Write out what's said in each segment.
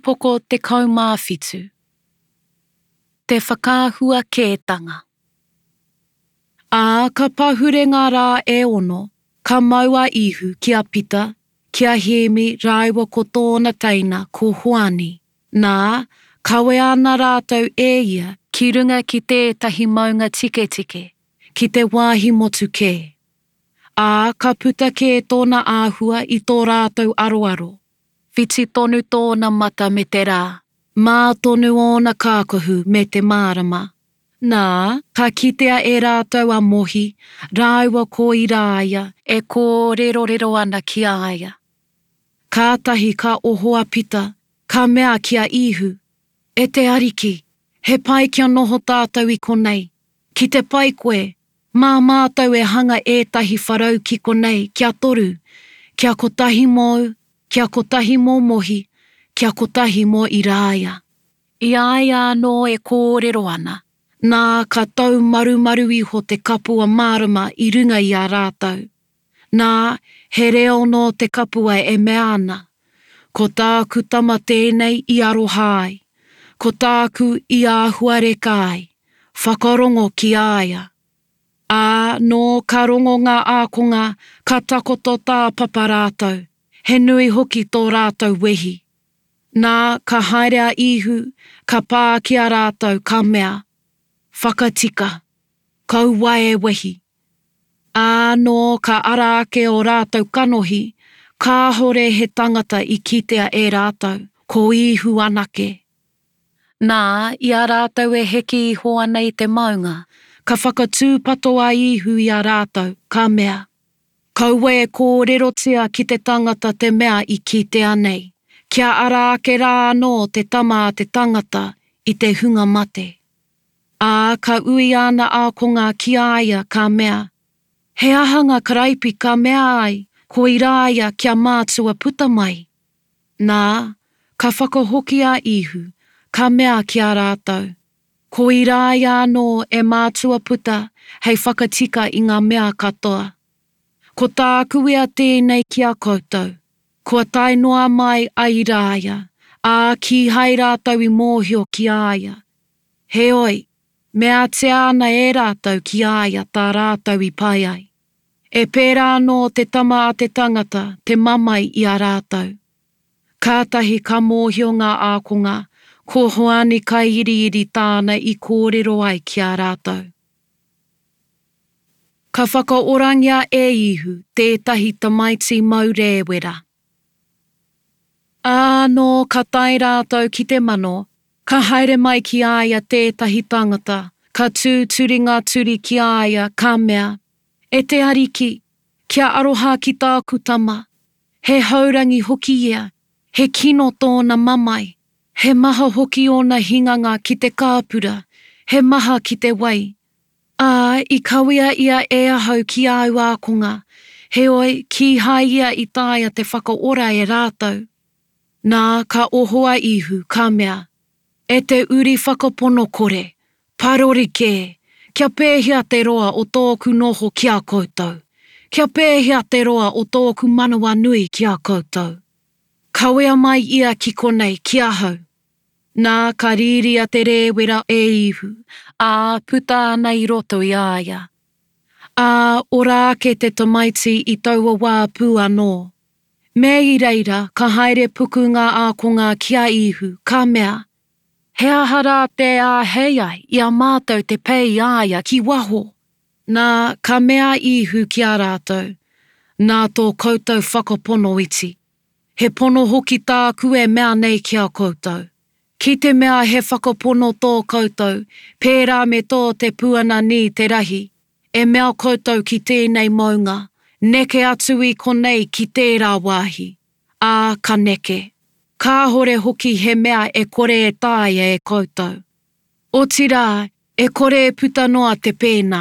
Upoko 17 Te Whakaahua Kētanga Ā, ka pahure ngā rā e ono, ka mau a Īhu ki a Pita, ki a Hēmi rāua ko tōna teina ko Hoani. Nā, kawea ana rātou e ia ki runga ki tētahi maunga tiketike, ki te wāhi motu kē. Ā, ka puta kē tōna āhua i tō rātou aroaro. Whiti tonu tōna mata me te rā. Mā tonu ōna kākahu me te mārama. Nā, ka kitea e rātou a Mohi rāua ko Irāia e kōrerorero ana ki a ia. Kātahi ka oho a Pita, ka mea ki a Īhu, E te Ariki, he pai kia noho tātou i konei. Ki te pai koe, mā mātou e hanga ētahi wharau ki konei kia toru, kia kotahi mōu, kia kotahi mō Mohi, kia kotahi mō Irāia. I a ia anō e kōrero ana, nā, ka taumarumaru iho te kapua mārama i runga i a rātou. Nā, he reo nō te kapua e mea ana, Ko tāku tama tēnei i aroha ai, ko tāku i āhuareka ai, whakarongo ki a ia. Ā, nō ka rongo ngā ākonga, ka takoto tāpapa rātou, he nui hoki tō rātou wehi. Nā, ka haere a Īhu, ka pā ki a rātou, ka mea, Whakatika, kaua e wehi. Ā, nō ka ara ake ō rātou kanohi, kāhore he tangata i kitea e rātou, ko Īhu anake. Nā, i a rātou e heke iho ana i te maunga, ka whakatūpato a Īhu i a rātou, ka mea, Kaua e kōrerotia ki te tangata te mea i kitea nei, kia ara ake rā anō te Tama a te tangata i te hunga mate. Ā, ka ui āna ākonga ki a ia, ka mea, He aha ngā karaipi ka mea ai, ko Irāia kia mātua puta mai? Nā, ka whakahoki a Īhu, ka mea ki a rātou, Ko Irāia anō e mātua puta hei whakatika i ngā mea katoa. Ko tāku ia tēnei ki a koutou, kua tae noa mai a Irāia, ā, kīhai rātou i mōhio ki a ia. Heoi, meatia ana e rātou ki a ia tā rātou i pai ai. E pērā anō te Tama a te tangata te mamae i a rātou. Kātahi ka mōhio ngā ākonga, ko Hoani Kaiiriiri tāna i kōrero ai ki a rātou. Ka whakaorangia e Īhu tētahi tamaiti mau rēwera. Ā, nō ka tae rātou ki te mano, ka haere mai ki a ia tētahi tangata, ka tūturi ngā turi ki a ia, ka mea, E te Ariki, kia aroha ki tāku tama, he haurangi hoki ia, he kino tōna mamae, he maha hoki ōna hinganga ki te kāpura, he maha ki te wai. Ā, i kawea ia e ahau ki āu ākonga, heoi, kīhai ia i taea te whakaora e rātou. Nā, ka oho a Īhu, ka mea, E te uri whakapono kore, parori kē, kia pēhea te roa o tōku noho ki a koutou? Kia pēhea te roa o tōku manawanui ki a koutou? Kawea mai ia ki konei, ki ahau. Nā, ka rīria te rēwera e Īhu, ā, puta ana i roto i a ia. Ā, ora ake te tamaiti i taua wā pū anō. Me i reira ka haere puku ngā ākonga ki a Īhu, ka mea, He aha rā tē āhei ai i a mātou te pei i a ia ki waho? Nā, ka mea a Īhu ki a rātou, Nā tō koutou whakapono iti. He pono hoki tāku e mea nei ki a koutou. Ki te mea he whakapono tō koutou, pērā me tō te puana nī te rahi, e mea koutou ki tēnei maunga, Neke atu i konei ki tērā wāhi, ā, ka neke. Kāhore hoki he mea e kore e taea e koutou. Otirā, e kore e puta noa te pēnā,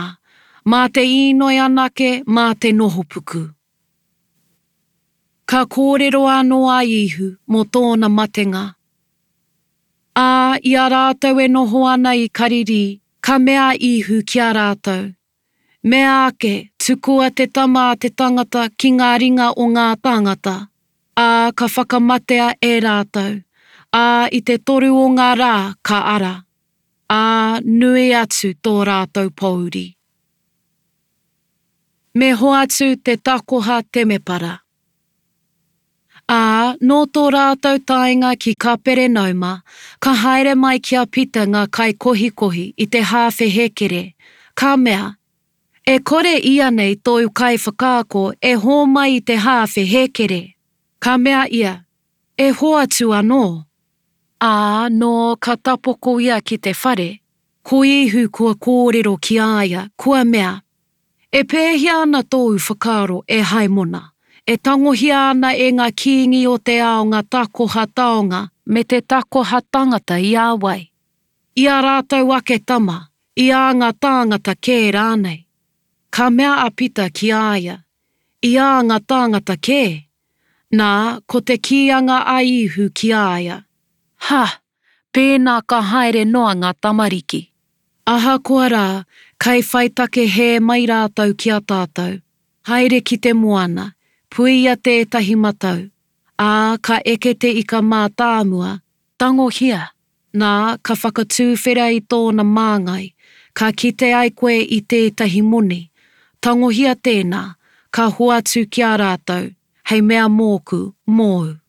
mā te īnoi anake, mā te nohopuku. Ka kōrero anō a Īhu mō tōna matenga. Ā, i a rātou e noho ana i Karirī, ka mea a Īhu ki a rātou, Mea ake, tukua te Tama a te tangata ki ngā ringa o ngā tāngata, ā, ka whakamatea e rātou. Ā, i te toru o ngā rā ka ara. Ā, nui atu tō rātou pōuri. Me hoatu te takoha temepara. Ā, nō tō rātou taenga ki Kaperenauma, ka haere mai ki a Pita ngā kaikohikohi i te hāwhe hēkere, ka mea, E kore ianei tōu kaiwhakaako e hōmai i te hāwhe hēkere? Ka mea ia, E hoatu anō. Ā, nō ka tapoko ia ki te whare, ko Īhu kua kōrero ki a ia, kua mea, E pēhea ana tōu whakaaro, e Haimona? E tangohia ana e ngā kīngi o te ao ngā takoha taonga me te takoha tangata i a wai? I ā rātou ake tama, i ā ngā tāngata kē rānei? Ka mea a Pita ki a ia, I ā ngā tāngata kē. Nā, ko te kīanga a Īhu ki a ia, Ha! Pēnā ka haere noa ngā tamariki. Ahakoa rā, kai whai take hē mai rātou ki a tātou. Haere ki te moana, puia tētahi matau, ā, ka eke te ika mātāmua, tangohia, nā, ka whakatūwhera i tōna māngai, ka kite ai koe i tētahi moni, tangohia tēnā, ka hoatu ki a rātou, hei mea mōku, mōu.